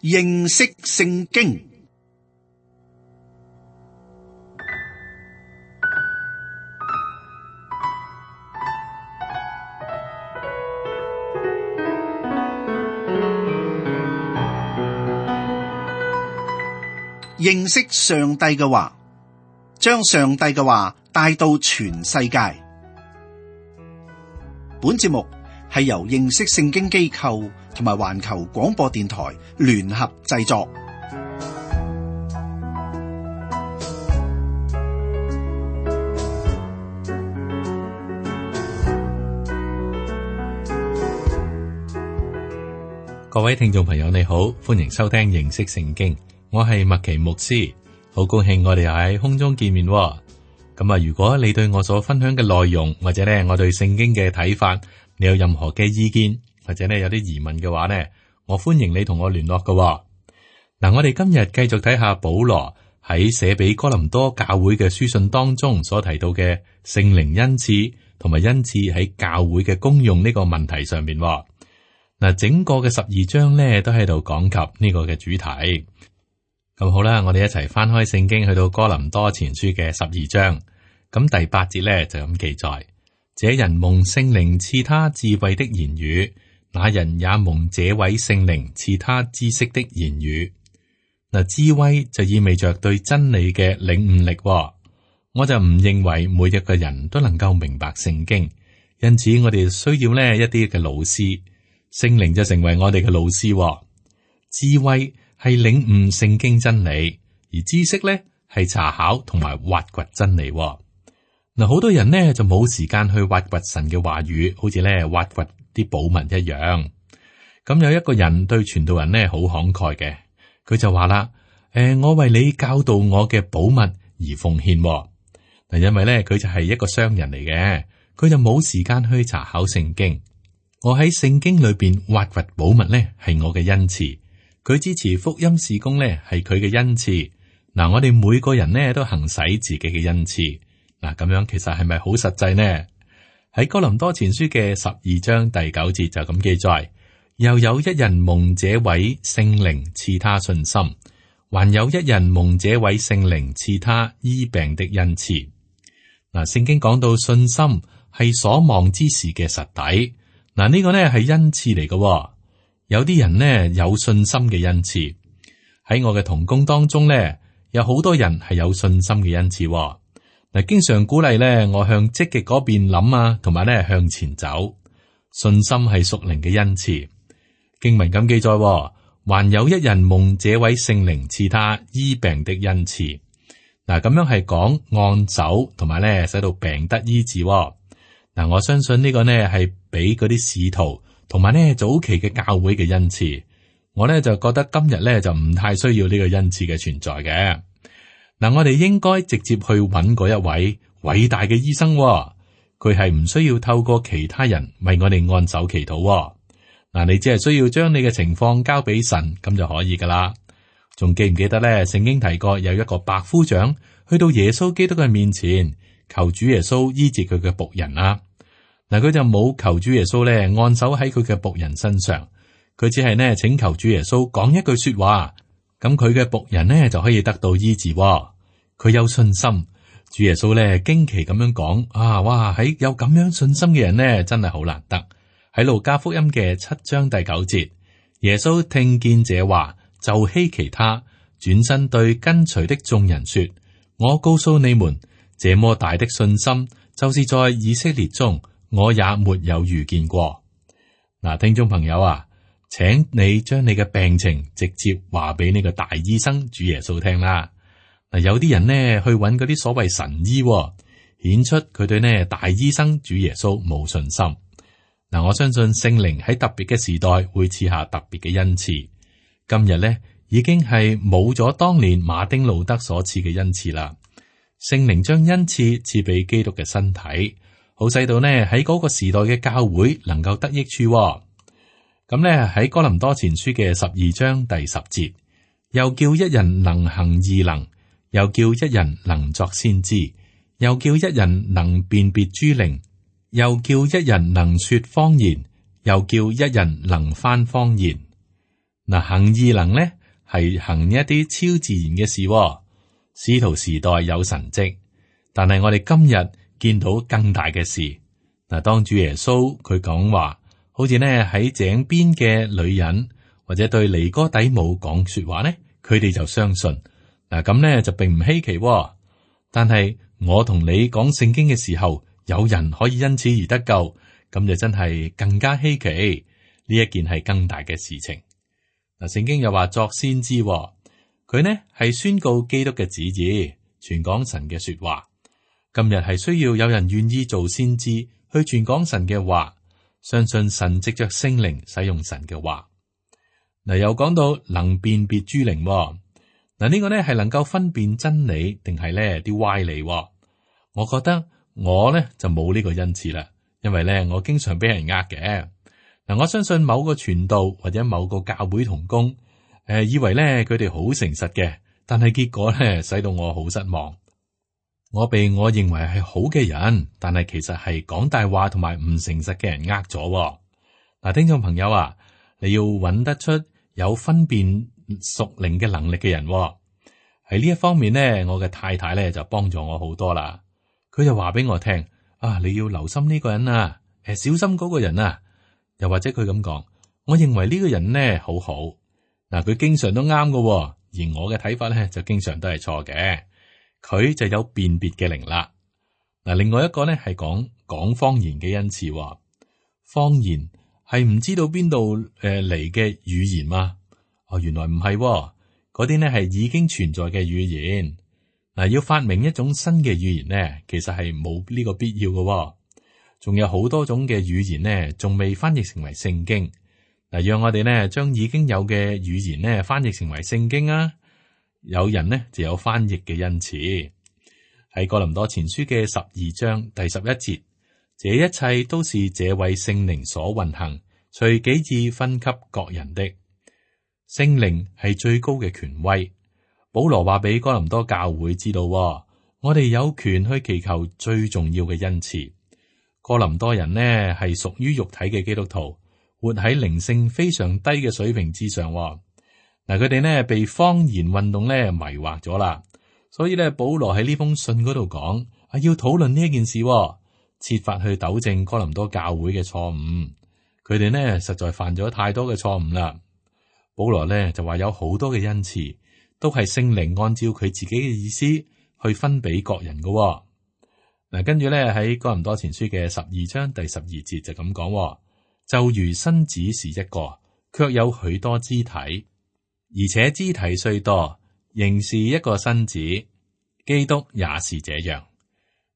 認識聖經。認識上帝嘅話，將上帝嘅話帶到全世界。本節目係由認識聖經機構同埋環球廣播電台聯合製作。各位聽眾朋友你好，歡迎收聽認識聖經，我係麥奇牧師，好高興我哋又喺空中見面。咁啊，如果你對我所分享嘅內容，或者咧我對聖經嘅睇法，你有任何嘅意見，或者咧有啲疑問嘅話呢，我歡迎你同我聯絡嘅。嗱，我哋今日繼續睇下保羅喺寫俾哥林多教會嘅書信當中所提到嘅聖靈恩賜同埋恩賜喺教會嘅功用呢個問題上面。嗱，整個嘅12章咧都喺度講及呢個嘅主題。咁好啦，我哋一齊翻開聖經去到哥林多前書嘅12章。咁第8節咧就咁記載：這人蒙聖靈賜他智慧的言語，那人也蒙這位聖靈賜他知識的言語。嗱，智慧就意味着對真理嘅領悟力。我就唔認為每一個人都能夠明白聖經，因此我哋需要呢一啲嘅老師，聖靈就成為我哋嘅老師。智慧係領悟聖經真理，而知識咧係查考同埋挖掘真理。嗱，好多人呢就冇時間去挖掘神嘅話語，好似咧挖掘啲寶物一樣。咁有一個人對傳道人呢好慷慨嘅，佢就話啦：我為你教導我嘅寶物而奉獻。嗱，因為咧佢就係一個商人嚟嘅，佢就冇時間去查考聖經。我喺聖經裏邊挖掘寶物咧係我嘅恩賜，佢支持福音事工咧係佢嘅恩賜。嗱，我哋每個人呢都行使自己嘅恩賜。嗱，咁樣其實係咪好實際呢？喺哥林多前書嘅12章第9節就咁記載：又有一人蒙這位聖靈賜他信心，還有一人蒙這位聖靈賜他醫病的恩賜。嗱，聖經講到信心係所望之事嘅實底。嗱，呢個呢係恩賜嚟嘅。有啲人呢有信心嘅恩賜，喺我嘅同工當中呢，有好多人係有信心嘅恩賜。嗱，經常鼓勵咧，我向積極嗰邊諗啊，同埋咧向前走。信心係屬靈嘅恩賜。經文咁記載，還有一人蒙這位聖靈賜他醫病的恩賜。嗱，咁樣係講按手，同埋咧使到病得醫治。嗱，我相信呢個呢係俾嗰啲使徒，同埋呢早期嘅教會嘅恩賜。我呢就覺得今日呢就唔太需要呢個恩賜嘅存在嘅。嗱，我哋應該直接去揾嗰一位偉大嘅醫生，佢係唔需要透過其他人為我哋按手祈禱。嗱，你只係需要將你嘅情況交俾神，咁就可以噶啦。仲記唔記得咧？聖經提過有一個百夫長去到耶穌基督嘅面前，求主耶穌醫治佢嘅僕人啊。嗱，佢就冇求主耶穌咧按手喺佢嘅僕人身上，佢只係呢請求主耶穌講一句說話。咁佢嘅僕人呢就可以得到醫治。佢有信心，主耶穌咧驚奇咁樣講：哇！喺有咁樣信心嘅人呢，真係好難得。喺路加福音嘅7章第9節，耶穌聽見這話，就希奇他，轉身對跟隨的眾人說：我告訴你們，這麼大的信心，就是在以色列中，我也沒有遇見過。嗱，聽眾朋友啊，請你將你嘅病情直接話俾呢個大醫生主耶穌聽啦。嗱，有啲人呢去揾嗰啲所謂神醫，顯出佢對呢大醫生主耶穌冇信心。嗱，我相信聖靈喺特別嘅時代會賜下特別嘅恩賜。今日呢已經係冇咗當年馬丁路德所賜嘅恩賜啦。聖靈將恩賜賜俾基督嘅身體，好使到呢喺嗰個時代嘅教會能夠得益處。咁呢喺哥林多前書嘅12章第10節，又叫一人能行異能，又叫一人能作先知，又叫一人能辨別諸靈，又叫一人能說方言，又叫一人能翻方言。嗱，行異能咧係行一啲超自然嘅事喎。使徒時代有神蹟，但係我哋今日見到更大嘅事。嗱，當主耶穌佢講話，好似呢喺井邊嘅女人，或者對尼哥底母講說話呢，佢哋就相信。嗱，咁呢就並唔稀奇喎。但係我同你講聖經嘅時候，有人可以因此而得救，咁就真係更加稀奇。呢一件係更大嘅事情。嗱，聖經又話作先知喎，佢呢係宣告基督嘅旨意，傳講神嘅說話。今日係需要有人願意做先知，去傳講神嘅話，相信神藉着聖靈使用神嘅話。嗱，又講到能辨別諸靈喎。嗱，呢個呢係能夠分辨真理定係呢啲歪理喎。我覺得我呢就冇呢個恩賜啦，因為呢我經常俾人呃嘅。嗱，我相信某個傳道或者某個教會同工，以為咧佢哋好誠實嘅，但係結果咧使到我好失望。我被我認為係好嘅人，但係其實係講大話同埋唔誠實嘅人呃咗。嗱，聽眾朋友啊，你要揾得出有分辨屬靈嘅能力嘅人喎。喺呢一方面呢，我嘅太太咧就幫助我好多啦。佢就話俾我聽啊，你要留心呢個人啊，小心嗰個人啊。又或者佢咁講，我認為呢個人呢好好。嗱，佢經常都啱嘅，而我嘅睇法咧就經常都係錯嘅。佢就有辨別嘅靈啦。嗱，另外一個咧係講方言嘅恩賜。方言係唔知道邊度嚟嘅語言嘛？哦，原來唔係，嗰啲呢係已經存在嘅語言。嗱，要發明一種新嘅語言呢，其實係冇呢個必要嘅。仲有好多種嘅語言呢，仲未翻譯成為聖經。嗱，讓我哋呢將已經有嘅語言呢翻譯成為聖經啊！有人呢就有翻譯嘅恩賜。喺哥林多前書嘅12章第11節，這一切都是這位聖靈所運行，隨己意分給各人的。聖靈係最高嘅權威。保羅話俾哥林多教會知道，我哋有權去祈求最重要嘅恩賜。哥林多人呢係屬於肉體嘅基督徒，活喺靈性非常低嘅水平之上。嗱，佢哋呢被方言運動呢迷惑咗啦，所以呢保羅喺呢封信嗰度講要討論呢一件事，設法去糾正哥林多教會嘅錯誤。佢哋呢實在犯咗太多嘅錯誤啦。保羅呢就話有好多嘅恩賜，都係聖靈按照佢自己嘅意思去分俾各人嘅。嗱，跟住咧喺哥林多前書嘅12章第12節就咁講，就如身子是一個，卻有許多肢體，而且肢體雖多，仍是一個身子。基督也是這樣。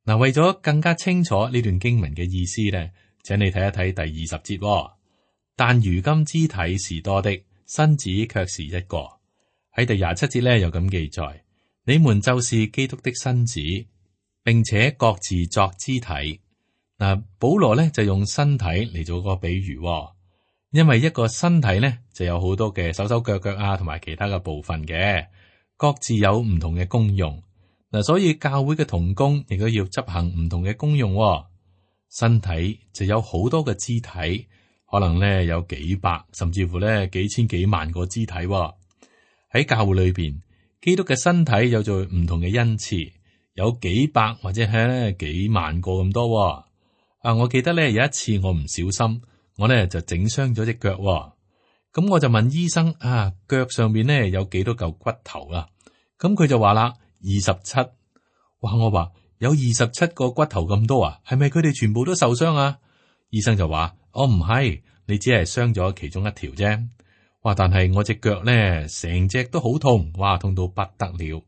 嗱，為咗更加清楚呢段經文嘅意思咧，請你睇一睇第20節。但如今肢體是多的，身子卻是一個。喺第27節咧又咁記載，你們就是基督的身子，並且各自作肢體。嗱，保羅咧就用身體嚟做個比喻，因為一個身體咧就有好多嘅手手腳腳啊，同埋其他嘅部分嘅，各自有唔同嘅功用。嗱，所以教會嘅同工亦都要執行唔同嘅功用。身體就有好多嘅肢體，可能咧有幾百，甚至乎咧幾千幾萬個肢體。喺教會裏邊，基督嘅身體有做唔同嘅恩賜。有幾百或者係咧幾萬個咁多。我記得咧有一次我唔小心，我咧就整傷咗隻腳。咁我就問醫生腳上面咧有幾多嚿骨頭啊？咁佢就話啦，27。哇！我話有27個骨頭咁多啊？係咪佢哋全部都受傷啊？醫生就話：我唔係，你只係傷咗其中一條啫。哇！但係我隻腳咧成隻都好痛，哇，痛到不得了。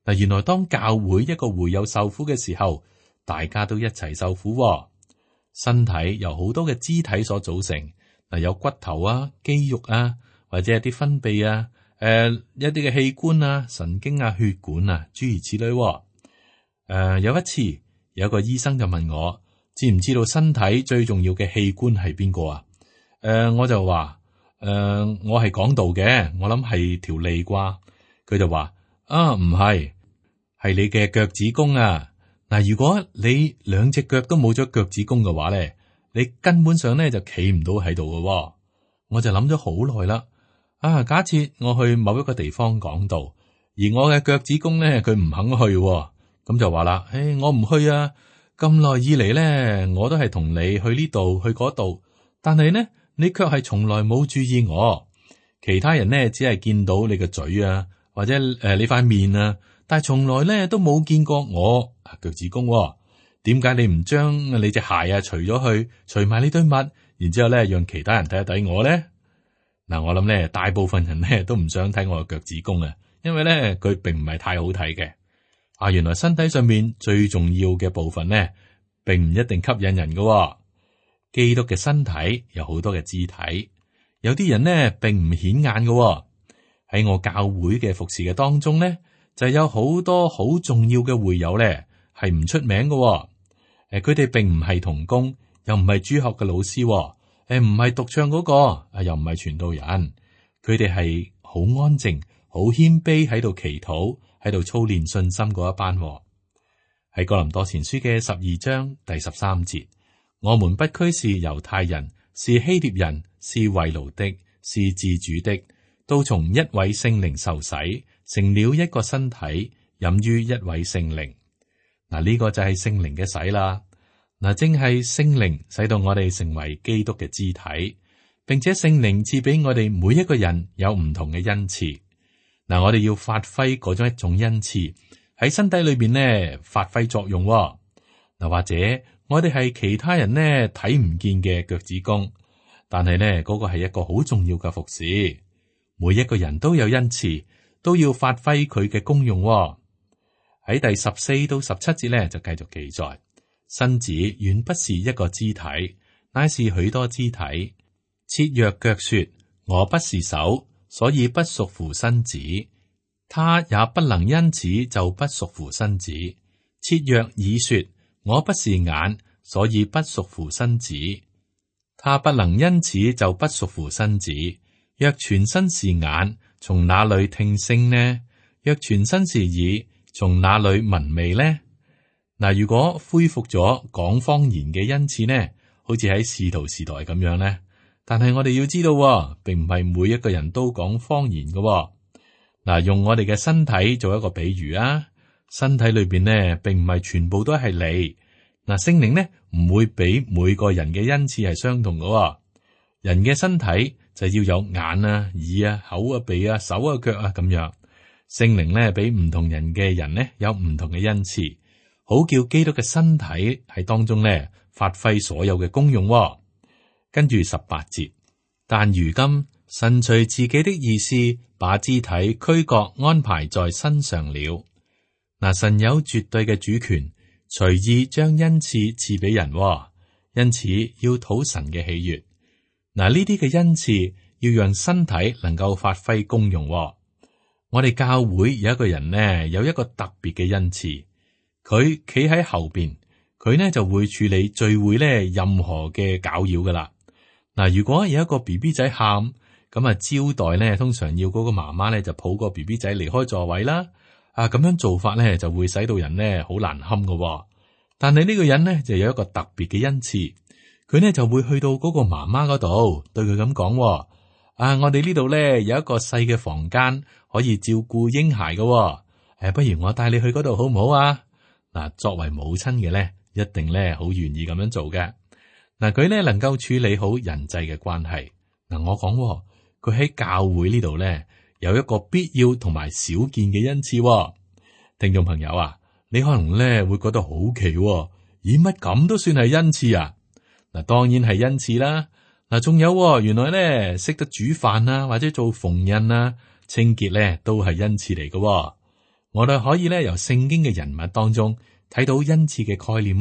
嗱，原來當教會一個會友受苦嘅時候，大家都一齊受苦。身體由好多嘅肢體所組成，嗱，有骨頭啊、肌肉啊，或者一啲分泌啊、一啲嘅器官啊、神經啊、血管啊，諸如此類。有一次，有一個醫生就問我，知唔知道身體最重要嘅器官係邊個啊？我就話，我係講道嘅，我諗係條脷啩。佢就話，唔係。係你嘅腳趾公啊！嗱，如果你兩隻腳都冇咗腳趾公嘅話咧，你根本上咧就企唔到喺度嘅。我就諗咗好耐啦，假設我去某一個地方講道，而我嘅腳趾公咧佢唔肯去，咁就話啦，我唔去啊！咁耐以嚟咧，我都係同你去呢度去嗰度，但係呢，你卻係從來冇注意我。其他人呢，只係見到你嘅嘴啊，或者你塊面啊，但係從來咧都冇見過我腳趾公。點解你唔將你隻鞋啊除咗去，除埋呢堆襪，然之後咧讓其他人睇一睇我咧？嗱，我諗咧大部分人咧都唔想睇我嘅腳趾公啊，因為咧佢並唔係太好睇嘅。原來身體上面最重要嘅部分呢，並唔一定吸引人嘅。基督嘅身體有好多嘅肢體，有啲人呢並唔顯眼嘅。喺我教會嘅服侍嘅當中呢，就有好多好重要嘅會友咧，係唔出名嘅。佢哋並唔係同工，又唔係主學嘅老師，唔係獨唱嗰個，又唔係傳道人。佢哋係好安靜、好謙卑喺度祈禱，喺度操練信心嗰一班。喺哥林多前書嘅12章第13節，我們不拘是猶太人，是希臘人，是為奴的，是自主的，都從一位聖靈受洗，成了一個身體，飲於一位聖靈。呢個就係聖靈嘅洗啦。正係聖靈使到我哋成為基督嘅肢體，並且聖靈賜俾我哋每一個人有唔同嘅恩賜。我哋要發揮嗰種一種恩賜喺身體裏邊呢，發揮作用。或者我哋係其他人呢睇唔見嘅腳趾公，但係呢嗰個係一個好重要嘅服侍。每一個人都有恩賜，都要發揮佢嘅功用。喺第14到17節呢，就繼續記載，身子原不是一個肢體，乃是許多肢體。設若腳說我不是手，所以不屬乎身子，他也不能因此就不屬乎身子。設若耳說我不是眼，所以不屬乎身子，他不能因此就不屬乎身子。若全身是眼，從哪裏聽聲呢？若全身是耳，從哪裏聞味呢？如果恢復咗講方言嘅恩賜呢，好似喺使徒時代咁樣呢？但係我哋要知道，並唔係每一個人都講方言嘅。用我哋嘅身體做一個比喻啊，身體裏邊呢，並唔係全部都係你。聖靈呢唔會俾每個人嘅恩賜係相同嘅。人嘅身體就要有眼啊、耳啊、口啊、鼻啊、手啊、腳啊咁樣。聖靈呢俾唔同人嘅人呢有唔同嘅恩賜，好叫基督嘅身體喺當中呢發揮所有嘅功用。跟住18節，但如今神隨自己的意思，把肢體俱各安排在身上了。神有絕對嘅主權，隨意將恩賜賜俾人，因此要討神嘅喜悅。呢啲嘅恩賜要讓身體能夠發揮功用。我哋教會有一個人呢，有一個特別嘅恩賜，佢企喺後邊，佢呢就會處理聚會呢任何嘅攪擾噶啦。如果有一個 BB 仔喊，咁招待呢，通常要嗰個媽媽呢就抱個 BB 仔離開座位啦。咁樣做法呢就會使到人呢好難堪噶。但係呢個人呢就有一個特別嘅恩賜，佢呢就會去到嗰個媽媽嗰度，對佢咁講：我哋呢度呢有一個細嘅房間可以照顧嬰孩噶，不如我帶你去嗰度好唔好啊？作為母親嘅呢，一定呢好願意咁樣做嘅。佢呢能夠處理好人際嘅關係。我講佢喺教會呢度呢有一個必要同埋少見嘅恩賜。聽眾朋友啊，你可能呢會覺得好奇，咦，乜咁都算係恩賜啊？當然係恩賜啦。仲有原來呢識得煮飯啊，或者做縫紉啊、清潔呢都係恩賜嚟嘅。我哋可以呢由聖經嘅人物當中睇到恩賜嘅概念。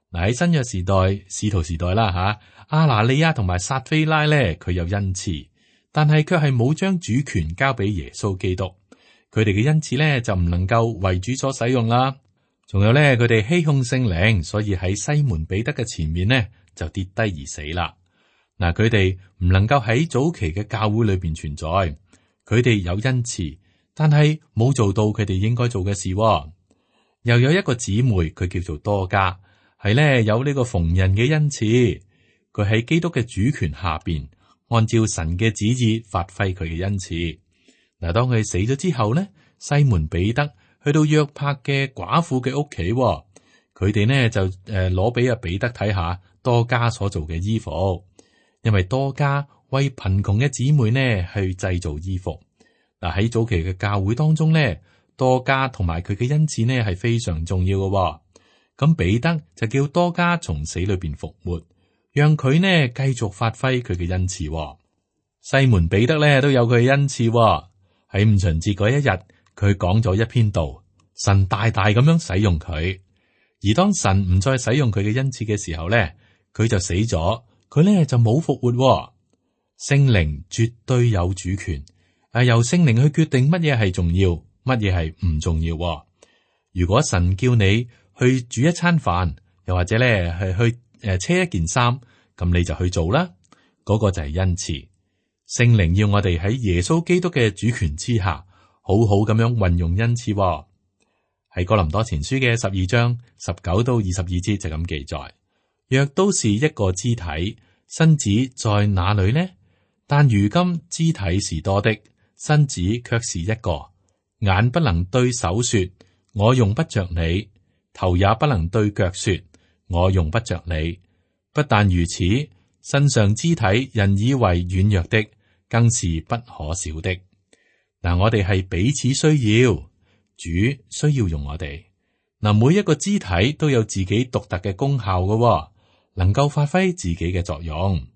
喺新約時代、使徒時代啦，亞拿利亞同埋撒非拉咧，佢有恩賜，但係卻係冇將主權交俾耶穌基督。佢哋嘅恩賜咧就唔能夠為主所使用啦。仲有咧，佢哋欺哄聖靈，所以喺西門彼得嘅前面呢就跌低而死啦。佢哋唔能夠喺早期嘅教會裏邊存在。佢哋有恩賜，但係冇做到佢哋應該做嘅事。又有一個姊妹，佢叫做多加。係咧有呢個縫紉嘅恩賜，佢喺基督嘅主權下邊，按照神嘅旨意發揮佢嘅恩賜。嗱，當佢死咗之後呢，西門彼得去到約帕嘅寡婦嘅屋企，佢哋呢就攞俾阿彼得睇下多加所做嘅衣服，因為多加為貧窮嘅姊妹呢去製造衣服。嗱，喺早期嘅教會當中呢，多加同埋佢嘅恩賜呢係非常重要嘅。咁彼得就叫多加從死裏邊復活，讓佢呢繼續發揮佢嘅恩賜。西門彼得呢都有佢嘅恩賜。喺五旬節嗰一日，佢講咗一篇道，神大大咁樣使用佢。而當神唔再使用佢嘅恩賜嘅時候呢，佢就死咗，佢呢就冇復活。聖靈絕對有主權，由聖靈去決定乜嘢係重要，乜嘢係唔重要。如果神叫你去煮一餐飯，又或者咧係去車一件衫，咁你就去做啦。嗰個就係恩賜。聖靈要我哋喺耶穌基督嘅主權之下，好好咁樣運用恩賜。喺哥林多前書嘅12章19到22節就咁記載：若都是一個肢體，身子在哪裏呢？但如今肢體是多的，身子卻是一個。眼不能對手說：我用不着你；頭也不能對腳說：我用不着你。不但如此，身上肢體人以為軟弱的，更是不可少的。嗱，我哋係彼此需要，主需要用我哋。嗱，每一個肢體都有自己獨特嘅功效嘅，能夠發揮自己嘅作用。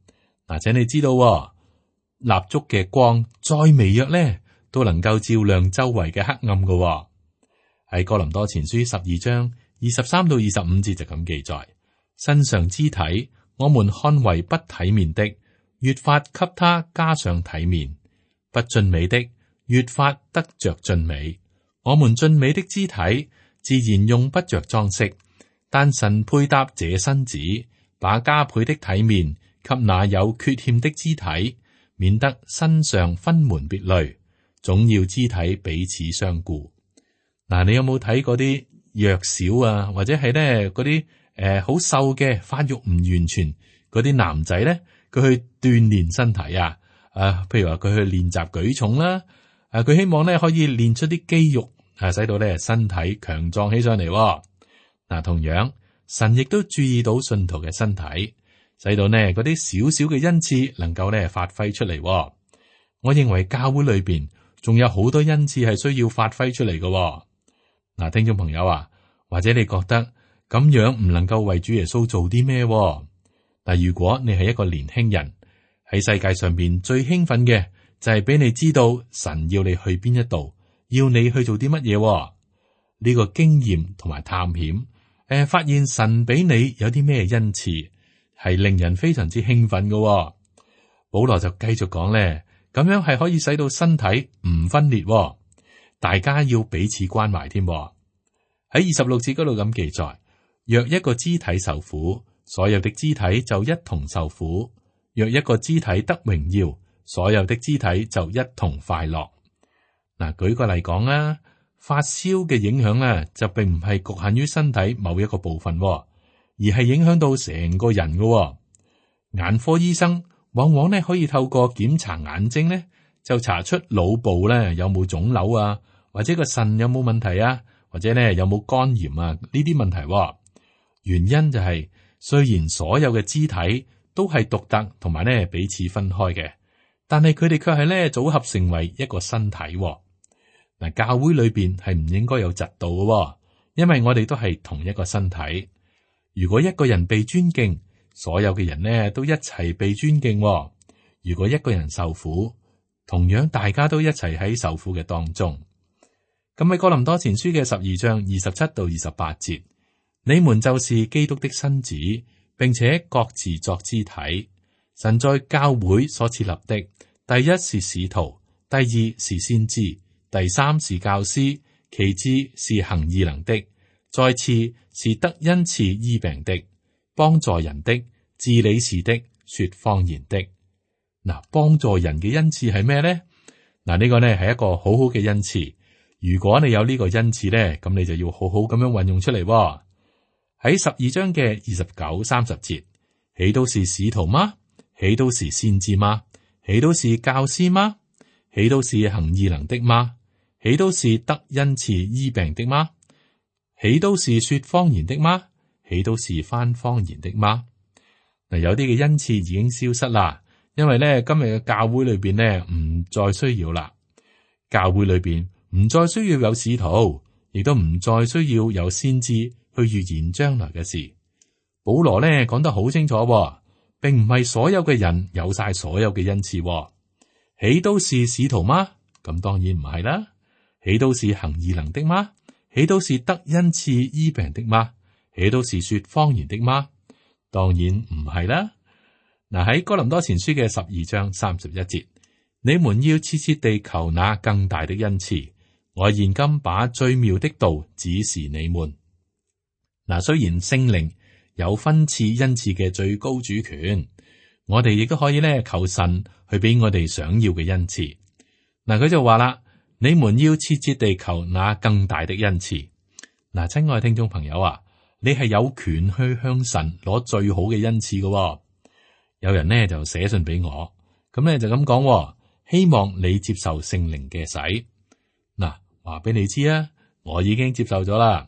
嗱，請你知道，蠟燭嘅光再微弱咧，都能夠照亮周圍嘅黑暗嘅。喺哥林多前書12章23到25節就咁記載：身上肢體，我們看為不體面的，越發給他加上體面；不俊美的，越發得着俊美。我們俊美的肢體，自然用不着裝飾，但神配搭這身子，把加倍的體面給那有缺陷的肢體，免得身上分門別類，總要肢體彼此相顧。嗱，你有冇睇嗰啲弱小啊，或者係咧嗰啲好瘦嘅發育唔完全嗰啲男仔咧，佢去鍛煉身體啊？譬如話佢去練習舉重啦，佢希望咧可以練出啲肌肉，使到咧身體強壯起上嚟。嗱，同樣神亦都注意到信徒嘅身體，使到呢嗰啲少少嘅恩賜能夠咧發揮出嚟。我認為教會裏邊仲有好多恩賜係需要發揮出嚟嘅。嗱，聽眾朋友啊，或者你覺得咁樣唔能夠為主耶穌做啲咩？嗱，如果你係一個年輕人，喺世界上邊最興奮嘅就係俾你知道神要你去邊一度，要你去做啲乜嘢。呢個經驗同埋探險，發現神俾你有啲咩恩賜，係令人非常之興奮嘅。保羅就繼續講咧，咁樣係可以使到身體唔分裂，大家要彼此關懷添。喺26節嗰度咁記載：若一個肢體受苦，所有的肢體就一同受苦；若一個肢體得榮耀，所有的肢體就一同快樂。嗱，舉個例講啦，發燒嘅影響咧，就並唔係局限於身體某一個部分，而係影響到成個人嘅。眼科醫生往往咧可以透過檢查眼睛咧，就查出腦部咧有冇腫瘤啊，或者個腎有冇問題啊，或者咧有冇肝炎啊呢啲問題。原因就係，雖然所有嘅肢體都係獨特同埋咧彼此分開嘅，但係佢哋卻係咧組合成為一個身體。嗱，教會裏邊係唔應該有嫉妒嘅，因為我哋都係同一個身體。如果一個人被尊敬，所有嘅人呢都一齊被尊敬。如果一個人受苦，同樣大家都一齊喺受苦嘅當中。咁喺哥林多前書嘅12章27到28節，你們就是基督的身子，並且各自作肢體。神在教會所設立的，第一是使徒，第二是先知，第三是教師，其次是行異能的，再次是得恩賜醫病的，幫助人的，治理事的，說方言的。嗱，幫助人嘅恩賜係咩咧？嗱，呢個呢係一個好好嘅恩賜。如果你有呢個恩賜咧，咁你就要好好咁樣運用出嚟。喺12章嘅29、30節，豈都是使徒嗎？豈都是先知嗎？豈都是教師嗎？豈都是行異能的嗎？豈都是得恩賜醫病的嗎？豈都是說方言的嗎？豈都是翻方言的嗎？嗱，有啲嘅恩賜已經消失啦，因為咧今日嘅教會裏邊咧唔再需要啦。教會裏邊唔再需要有使徒，亦都唔再需要有先知去預言將來嘅事。保羅咧講得好清楚，並唔係所有嘅人有晒所有嘅恩賜。豈都是使徒嗎？咁當然唔係啦。豈都是行異能的嗎？豈都是得恩賜醫病的嗎？豈都是說方言的嗎？當然唔係啦。嗱，喺哥林多前書嘅12章31節，你們要切切地求那更大的恩賜。我現今把最妙的道指示你們。嗱，雖然聖靈有分賜恩賜嘅最高主權，我哋亦都可以咧求神去俾我哋想要嘅恩賜。嗱，佢就話啦，你們要切切地求那更大的恩賜。嗱，親愛聽眾朋友啊，你係有權去向神攞最好嘅恩賜嘅。有人呢就寫信俾我，咁咧就咁講，希望你接受聖靈嘅洗。嗱，話俾你知啊，我已經接受咗啦。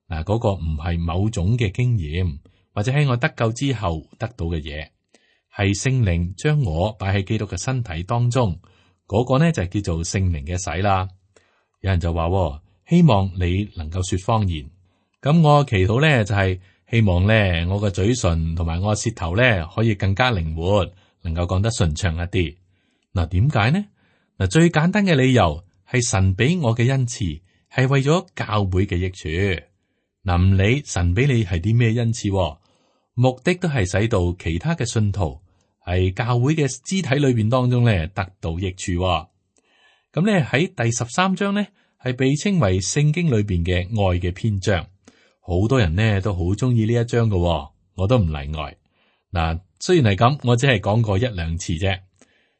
嗱，嗰個唔係某種嘅經驗，或者喺我得救之後得到嘅嘢，係聖靈將我擺喺基督嘅身體當中，嗰個呢就係叫做聖靈嘅洗啦。有人就話，希望你能夠說方言。咁我祈禱咧就係希望咧我個嘴唇同埋我個舌頭咧可以更加靈活，能夠講得順暢一啲。嗱，點解呢？嗱，最簡單嘅理由係神俾我嘅恩賜係為咗教會嘅益處。嗱，唔理神俾你係啲咩恩賜，目的都係使到其他嘅信徒係教會嘅肢體裏邊當中咧得到益處。咁咧喺第13章咧係被稱為聖經裏邊嘅愛嘅篇章。好多人呢都好中意呢一章嘅，我都唔例外。嗱，雖然係咁，我只係講過1、2次啫。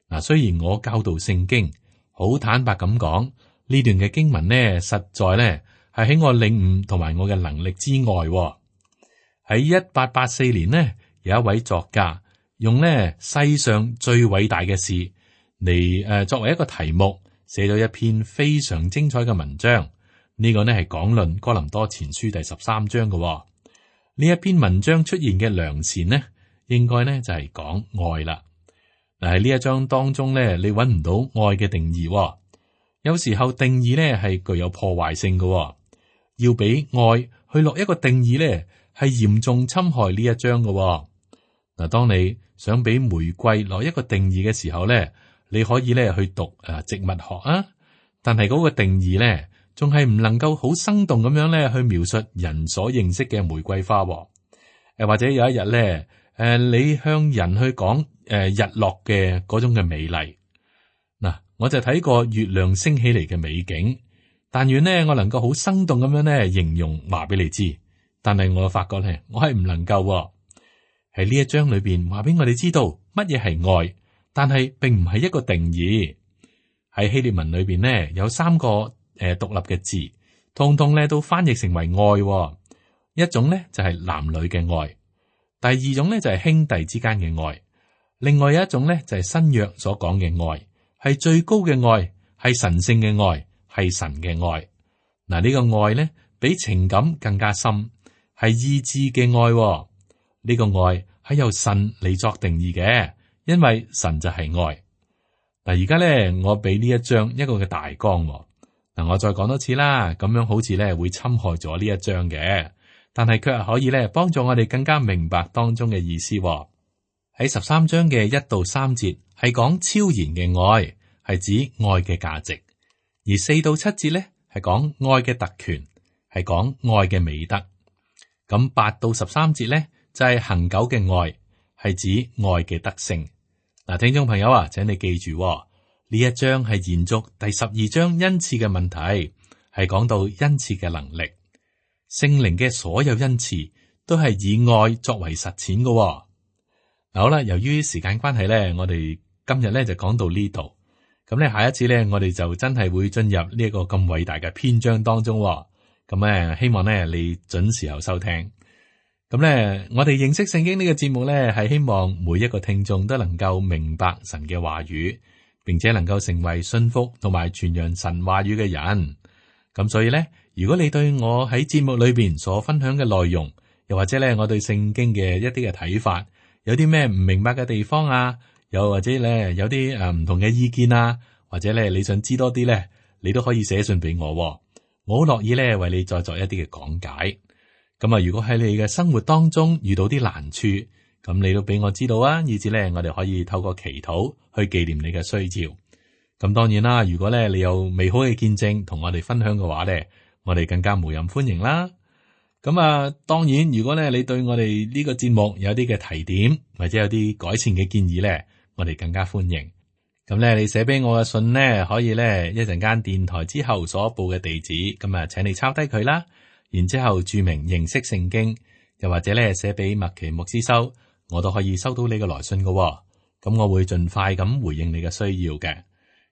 嗱，雖然我教導聖經，好坦白咁講，呢段嘅經文呢，實在呢係喺我領悟同埋我嘅能力之外。喺1884年呢，有一位作家用呢世上最偉大嘅事嚟作為一個題目，寫咗一篇非常精彩嘅文章。呢個呢係講論哥林多前書第13章嘅。呢一篇文章出現嘅良善呢，應該呢就係講愛啦。嗱，喺呢一章當中呢，你揾唔到愛嘅定義。有時候定義呢係具有破壞性嘅。要俾愛去落一個定義呢，係嚴重侵害呢一章嘅。嗱，當你想俾玫瑰落一個定義嘅時候呢，你可以呢去讀植物學啊，但係嗰個定義呢，仲係唔能夠好生動咁樣咧去描述人所認識嘅玫瑰花。或者有一日咧，你向人去講日落嘅嗰種嘅美麗。嗱，我就睇過月亮升起嚟嘅美景，但願呢我能夠好生動咁樣咧形容話俾你知。但係我發覺咧，我係唔能夠喺呢一章裏邊話俾我哋知道乜嘢係愛，但係並唔係一個定義。喺希臘文裏邊呢，有3個獨立嘅字，通通咧都翻譯成為愛。一種咧就係男女嘅愛，第二種咧就係兄弟之間嘅愛，另外有一種咧就係新約所講嘅愛，係最高嘅愛，係神聖嘅愛，係神嘅愛。嗱，呢個愛咧比情感更加深，係意志嘅愛。呢個愛係由神嚟作定義嘅，因為神就係愛。嗱，而家咧我俾呢一章一個嘅大綱。嗱，我再講多次啦，咁樣好似咧會侵害咗呢一章嘅，但係卻係可以咧幫助我哋更加明白當中嘅意思。喺13章嘅1到3節係講超然嘅愛，係指愛嘅價值；而4到7節咧係講愛嘅特權，係講愛嘅美德。咁8到13節咧就係恆久嘅愛，係指愛嘅德性。嗱，聽眾朋友啊，請你記住。呢一章係延續第12章恩賜嘅問題，係講到恩賜嘅能力。聖靈嘅所有恩賜都係以愛作為實踐嘅。好啦，由於時間關係咧，我哋今日咧就講到呢度。咁咧下一次咧，我哋就真係會進入呢一個咁偉大嘅篇章當中。咁咧希望咧你準時候收聽。咁咧，我哋認識聖經呢個節目咧，係希望每一個聽眾都能夠明白神嘅話語，並且能夠成為信服同埋傳揚神話語嘅人。咁所以咧，如果你對我喺節目裏邊所分享嘅內容，又或者咧我對聖經嘅一啲嘅睇法，有啲咩唔明白嘅地方啊，又或者咧有啲唔同嘅意見啊，或者咧你想知多啲咧，你都可以寫信俾我，我好樂意咧為你再作一啲嘅講解。咁啊，如果喺你嘅生活當中遇到啲難處，咁你都俾我知道啊，以至咧我哋可以透過祈禱去紀念你嘅需要。咁當然啦，如果咧你有美好嘅見證同我哋分享嘅話咧，我哋更加無任歡迎啦。咁啊，當然如果咧你對我哋呢個節目有啲嘅提點或者有啲改善嘅建議咧，我哋更加歡迎。咁咧你寫俾我嘅信呢，可以咧一陣間電台之後所報嘅地址，咁啊請你抄低佢啦。然之後注明認識聖經，又或者咧寫俾麥奇牧師收，我都可以收到你嘅來信嘅。咁我會盡快咁回應你嘅需要嘅。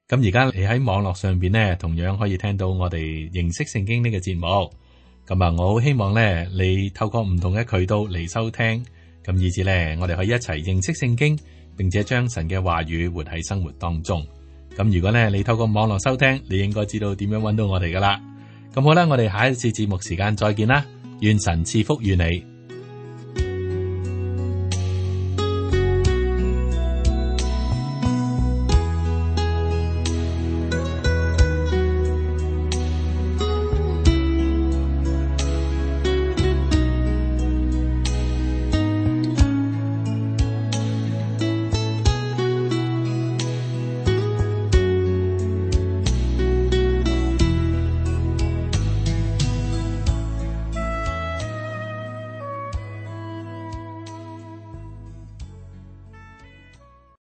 咁而家你喺網絡上邊呢，同樣可以聽到我哋認識聖經呢個節目。咁啊，我好希望咧你透過唔同嘅渠道嚟收聽，咁以至咧我哋可以一齊認識聖經，並且將神嘅話語活喺生活當中。咁如果咧你透過網絡收聽，你應該知道點樣揾到我哋噶啦。咁好啦，我哋下一次節目時間再見啦，願神賜福與你。